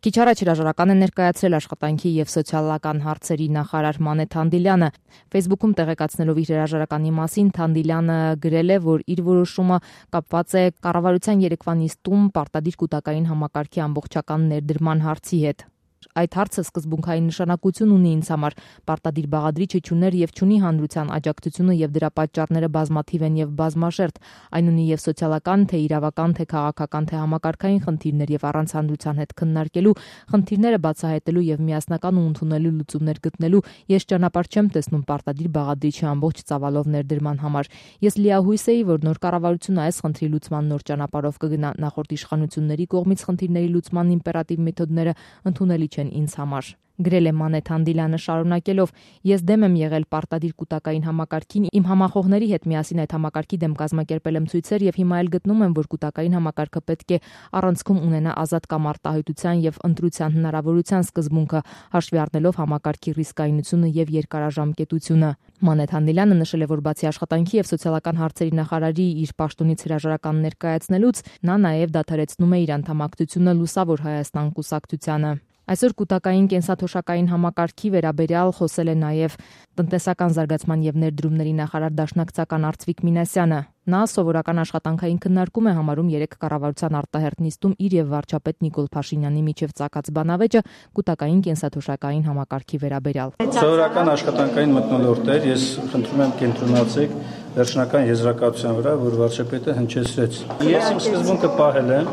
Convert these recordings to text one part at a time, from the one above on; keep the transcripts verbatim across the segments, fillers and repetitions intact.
Քիչ առաջ հրաժարական է ներկայացրել աշխատանքի եւ սոցիալական հարցերի նախարար Մանե Թանդիլյանը։ Facebook-ում տեղեկացնելով իր հրաժարականի մասին Թանդիլյանը գրել է, որ իր որոշումը կապված է կառավարության երեկվա նիստում պարտադիր կൂട്ടակային համակարգի ամբողջական ներդրման հարցի հետ։ Այդ հարցը սկզբունքային նշանակություն ունի ինձ համար, պարտադիր բաղադրիչը չուներ եւ չունի հանրության աջակցությունը եւ դրա պատճառները բազմաթիվ են եւ բազմաշերտ, այն ունի եւ սոցիալական, թե իրավական, թե քաղաքական, թե համակարգային խնդիրներ եւ առանց հանրության հետ քննարկելու, խնդիրները բացահայտելու եւ միասնական ու ընդունելի լուծումներ գտնելու ես ճանապարհ չեմ տեսնում պարտադիր բաղադրիչի ամբողջ ծավալով ներդրման համար։ Ես լիահույս էի, որ նոր կառավարությունը այս խնդրի լուծման նոր ճանապարհով կգնա, նախորդ իշխանությունների կողմից խնդիրների լուծման իմպերատիվ մեթոդները ընդունելի չեն ինձ համար։ Գրել է Մանե Թանդիլյանը շարունակելով. Ես դեմ եմ եղել պարտադիր կൂട്ടակային համակարգին, իմ համախոհների հետ միասին այդ համակարգի դեմ կազմակերպել եմ ցույցեր եւ հիմա էլ գտնում եմ, որ կൂട്ടակային համակարգը պետք է առանցքում ունենա ազատ կամ արտահայտության եւ ընտրության հնարավորության սկզբունքը, հաշվի առնելով համակարգի ռիսկայնությունը եւ երկարաժամկետությունը։ Մանե Թանդիլյանը նշել է, որ բացի աշխատանքի եւ սոցիալական հարցերի նախարարի իր պաշտոնից հրաժարական ներկայացնելուց, նա նաեւ դադարեցնում է իր անդամակցությունը Լուսավոր Հայաստան կուսակցությանը։ Այսօր կൂട്ടակային կենսաթոշակային համակարգի վերաբերյալ խոսել է նաև տնտեսական զարգացման եւ ներդրումների նախարար դաշնակցական Արծվիկ Մինասյանը։ Նա սովորական աշխատանքային քննարկում է համարում երեք կառավարության արտահերթ նիստում իր եւ վարչապետ Նիկոլ Փաշինյանի միջև ծագած բանավեճը կൂട്ടակային կենսաթոշակային համակարգի վերաբերյալ։ Սովորական աշխատանքային մթնոլորտներ, ես խնդրում եմ կենտրոնացեք վերջնական եզրակացության վրա, որ վարչապետը հնչեցրեց։ Ես իմ սկզբունքը պահել եմ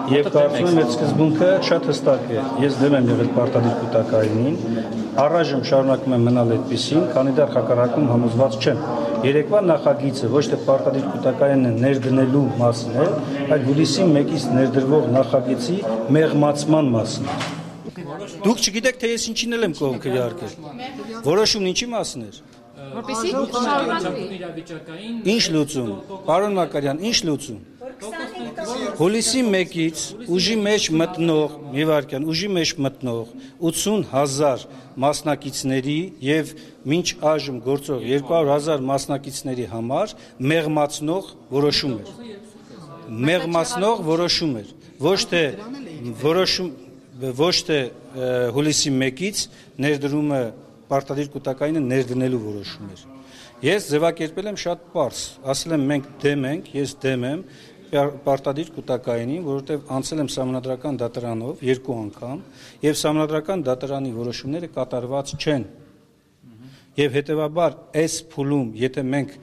եւ կարծում եմ այդ սկզբունքը շատ հստակ է։ Ես դեմ եմ եղել պարտադիր կൂട്ടակայինին, առայժմ շարունակում եմ մնալ այդպիսին, քանի դեռ հակառակում համոզված չեմ։ Երեկվա նախագիծը ոչ թե պարտադիր կൂട്ടակայինը ներդնելու մասին է, այլ հուլիսի մեկից ներդրվող նախագծի մեղմացման մասին է։ Դուք չգիտեք, թե ես ինչին եմ կողմ քվեարկել։ Որոշումն ինչի մասին էր։ Որպեսզի շարունակվի։ Ինչ լուծում, պարոն Մակարյան, ինչ լուծում։ Հուլիսի մեկից ուժի մեջ մտնող, մի վարքյան, ուժի մեջ մտնող ութսուն հազար մասնակիցների եւ մինչ այժմ գործող երկու հարյուր հազար մասնակիցների համար մեղմացնող որոշում էր։ Մեղմացնող որոշում էր, ոչ թե որոշում, ոչ թե հուլիսի մեկից ներդրումը պարտադիր կൂട്ടակայինը ներդնելու որոշում էր։ Ես ձևակերպել եմ շատ պարզ, ասել եմ մենք դեմ ենք, ես դեմ եմ պարտադիր կൂട്ടակայինին, որովհետև անցել եմ սահմանադրական դատարանով երկու անգամ եւ սահմանադրական դատարանի որոշումները կատարված չեն։ Եվ հետեւաբար այս փուլում, եթե մենք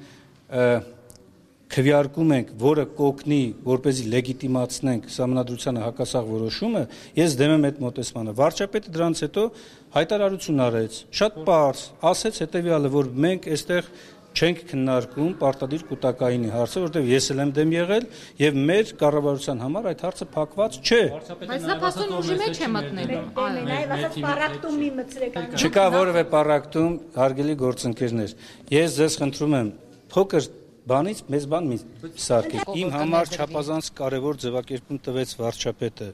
քվեարկում ենք, որը կօգնի, որպեսզի լեգիտիմացնենք սահմանադրությանը հակասող որոշումը, ես դեմ եմ այդ մոտեցմանը։ Վարչապետը դրանից հետո հայտարարություն արեց, շատ պարզ, ասեց հետեւյալը, որ մենք այստեղ չենք քննարկում պարտադիր կൂട്ടակայինի հարցը, որովհետև ես էլ եմ դեմ եղել եւ մեր կառավարության համար այդ հարցը փակված չէ։ Բայց նա փաստորեն ուժի մեջ է մտնելու։ Նաեւ ասած պարակտումի մցրեք։ Չկա որևէ պարակտում, հարգելի գործընկերներ։ Ես ձեզ խնդրում եմ փոքր բանից մեծ բան մի սարքեք։ Իմ համար չափազանց կարևոր ձևակերպում տվեց վարչապետը։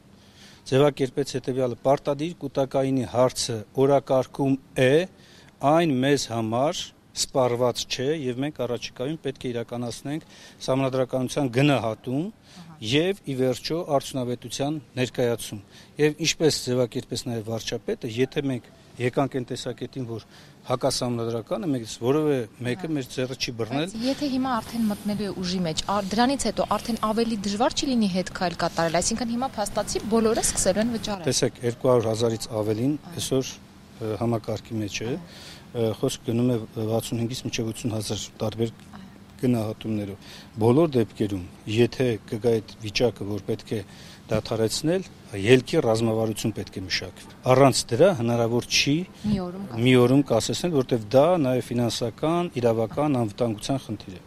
Ձևակերպեց հետեւյալը. պարտադիր կൂട്ടակայինի հարցը օրակարգում է, այն մեզ համար սպառված չէ եւ մենք առաջիկայում պետք է իրականացնենք սահմանադրականության գնահատում եւ ի վերջո արդյունավետության ներկայացում։ Եվ ինչպես ձևակերպեց նաեւ վարչապետը, եթե մենք եկանք այն տեսակետին, որ հակասահմանադրականը մեզ որևէ մեկը մեր ձեռը չի բռնել։ Եթե հիմա արդեն մտնելու է ուժի մեջ, դրանից հետո արդեն ավելի դժվար չի լինի հետ քայլ կատարել, այսինքն հիմա փաստացի բոլորը սկսելու են վճարել։ Տեսեք, երկու հարյուր հազարից ավելին այսօր համակարգի մեջ է, խոսք գնում է վաթսունհինգից մինչև ութսուն հազար տարբեր գնահատումներով։ Բոլոր դեպքերում, եթե կգա այդ վիճակը, որ պետք է դադարեցնել, ելքի ռազմավարություն պետք է մշակվի։ Առանց դրա հնարավոր չի մի օրում կասեցնել, որտեղ դա նաև ֆինանսական, իրավական անվտանգության խնդիր է։